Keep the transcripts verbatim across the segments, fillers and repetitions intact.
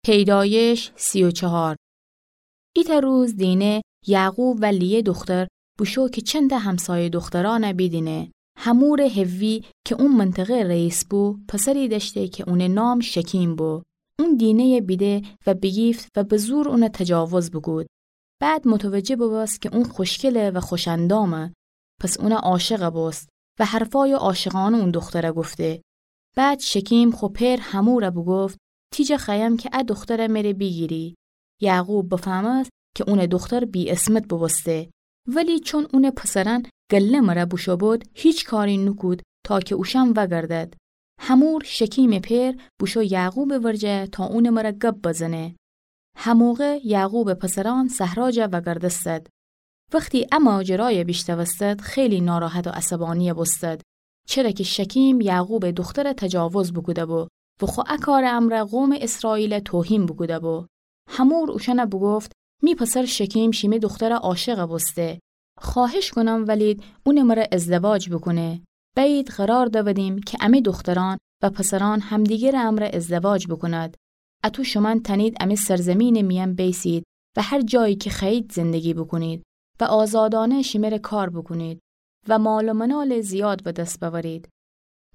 پیدایش سی و چهار. ایتأ روز دینه یعقوب و لیه دختر بوشو که چندتأ همسایه دخترأنه بیدینه. حمور حوی که او منطقه رئیس بو، پسری دأشته که اونٚ نام شکیم بو. اون دینه‌یه بیده و بیگیفت و به زور اونه تجاوز بوکود. بعد متوجه بوبوست که اون خوشگله و خوش‌اندامه، پس اونه عاشق بوست و حرفای عاشقانه اون دختره گفته. بعد شکیم خو پئر حموره بوگفت: تی جا خوأیم که ا دختره مره بیگیری. یعقوب بفهمست که اونٚ دختر بی‌عصمت بوبوسته، ولی چون اونٚ پسرأن گله مره بوشو بود، هیچ کاری نوکود تا که اوشأن وأگردد. حمور، شکیمٚ پئر، بوشو یعقوبٚ ورجه تا اونٚ مره گب بزنه. هموقع یعقوبٚ پسرأن صحرا جا وأگردستد. وختی ا ماجرایه بیشنوستد، خیلی ناراحت و عصبانی بوستد، چره که شکیم یعقوبٚ دختره تجاوز بوکوده‌بو و خو ا کارٚ امرأ قومٚ اسرائیله توهین بوکوده‌بو. حمور اوشأنه بوگفت: می پسر شکیم شیمه دختره عاشق بوسته. خواهش کونم ولید اونٚ مره ازدواج بوکونه. بأیید قرار دودیم که امه دخترأن و پسرأن همدیگرٚ امرأ ازدواج بوکوند. اتو شومأن تأنید امه سرزمینٚ میأن بیسید و هر جایی که خوأیید زندگی بوکونید و آزادانه شیمره کار بوکونید و مال و منالٚ زیاد به دس بأورید.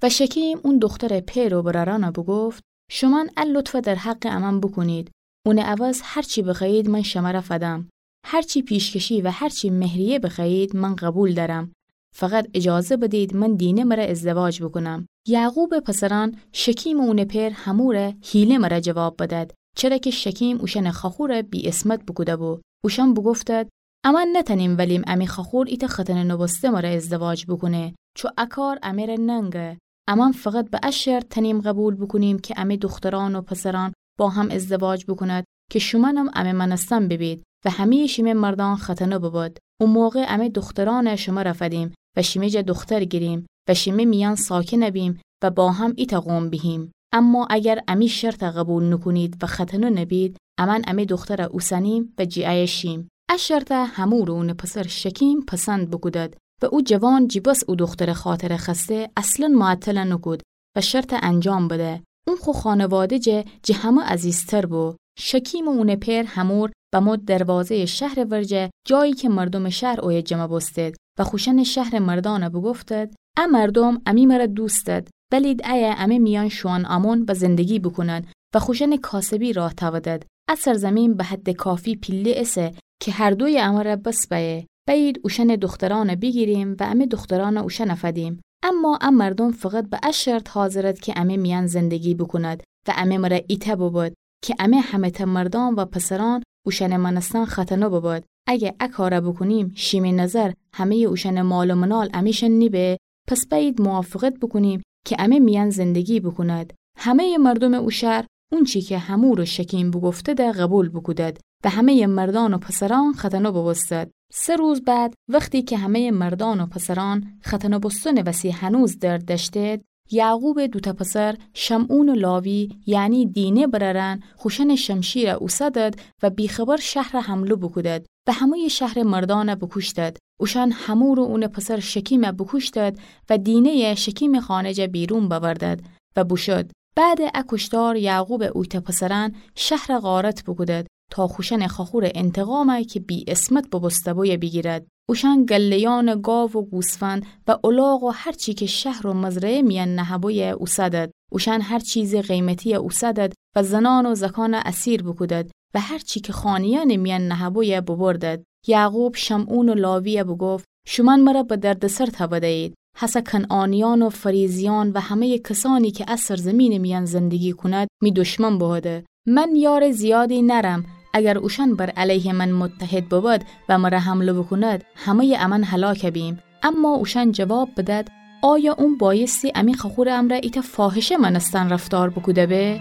و شکیم اون دخترٚ پئر و برأرأنه بوگفت: شومأن ا لطفه در حقٚ امأن بوکونید. اونٚ عوض هر چی بخوأیید من شمره فدم. هر چی پیشکشی و هر چی مهریه بخوأیید من قبول دأرم. فقط اجازه بدید من دینه مره ازدواج بوکونم. یعقوبٚ پسرأن شکیم و اونٚ پئر حموره حیله مره جواب بدد، چره که شکیم اوشأنٚ خوأخوره بی‌عصمت بوکوده‌بو. اوشأن بوگفتد: امأن نتأنیم ولیم امه خوأخور ایتأ ختنه نوبوسته مره ازدواج بوکونه، چو ا کار امره ننگه. امأن فقط به ا شرط تأنیم قبول بوکونیم که امه دخترأن و پسرأن با هم ازدواج بوکوند که شومأنم امه مأنستن ببید و همه‌یٚ شیمه مردأن ختنه ببد. او موقع امه دخترأنه شمره فدیم و شیمه جا دختر گیریم و شیمه میأن ساکن بیم و با هم ایتأ قوم بیهیم. اما اگر امی شرطه قبول نوکونید و ختنه نبید، امأن امه دختره اوسنیم و جی ایه شیم. ا شرطه حمور و اونٚ پسر شکیم پسند بوکودد و او جوان جی بس او دخترٚ خاطره خوأسته اصلاً معطله نوکود و شرطه انجام بده. اون خو خانواده جه جٚه همه عزیزتر بو. شکیم و اونٚ پئر حمور بمو دروازه‌یٚ شهرٚ ورجه، جایی که مردومٚ شهر اویه جمع بوستد و خوشأنٚ شهرٚ مردأنه بوگفتد: ا مردوم امی مره دوست دأد، بلید ایه امه میأن شوئن امون و زندگی بوکوند و خوشأنٚ کاسبی راه تأودد. ا سرزمین به حدٚ کافی پیله ایسه که هر دویٚ امره بس بأیه. بأیید اوشأنٚ دخترأنه بیگیریم و امه دخترأنه اوشأنه فدیم. اما ا مردوم فقط به ا شرط حاضرد که امه میأن زندگی بوکوند و امه مره ایتأ ببد که امه همه‌تأ مردأن و پسرأن اوشأنٚ مأنستن ختنه ببد. اگه ا کاره بوکونیم، شیمه نظر همه‌یٚ اوشأنٚ مال و منال امیشأن نیبه، پس بأیید موافقت بوکونیم که امه میأن زندگی بوکوند. همه‌یٚ مردومٚ او شهر اونچی که حمور و شکیم بوگفتده قبول بوکودد و همه‌یٚ مردأن و پسرأن ختنه بوبوستد. سه روز بعد، وختی که همه‌یٚ مردأن و پسرأن ختنه بوستنٚ وسی هنوز درد دأشتید، یعقوبٚ دوتأ پسر، شمعون و لاوی، یعنی دینه برأرأن، خوشأنٚ شمشیره اوسدد و بی‌خبر شهره حمله بوکودد و همه‌یٚ شهرٚ مردأنه بوکوشتد. اوشأن حمور و اونٚ پسر شکیمه بوکوشتد و دینه‌یه شکیمٚ خانه جه بیرون بأوردد و بوشد. بعدٚ ا کوشتار یعقوبٚ اویتأ پسرأن شهره غارت بوکودد تا خوشأنٚ خوأخورٚ انتقامه که بی‌عصمت بوبوسته‌بویه بیگیرد. اوشأن گله‌یأنٚ گاو و گوسفند و الاغ و هر چی که شهر و مزرعه میأن نهه‌بویه اوسدد. اوشأن هر چیزٚ قیمتیه اوسدد و زنأن و زکانه اسیر بوکودد و هر چی که خانه‌یأنٚ میأن نهه‌بویه بوبردد. یعقوب شمعون و لاویه بوگفت: شومأن مره به دردسر تأوده‌یید. هسه کنعانیأن و فریزیأن و همه‌یٚ کسأنی که ا سرزمینٚ میأن زندگی کوند، می دشمن بوهده. من یارٚ زیادی نأرم. اگر اوشأن بر علیهٚ من متحد ببد و مره حمله بوکوند، همه‌یٚ امأن هلاک بیم. اما اوشأن جواب بدد: آیا اون بأیستی امی خوأخورٚ امرأ ایتأ فاحشه مأنستن رفتار بوکوده به؟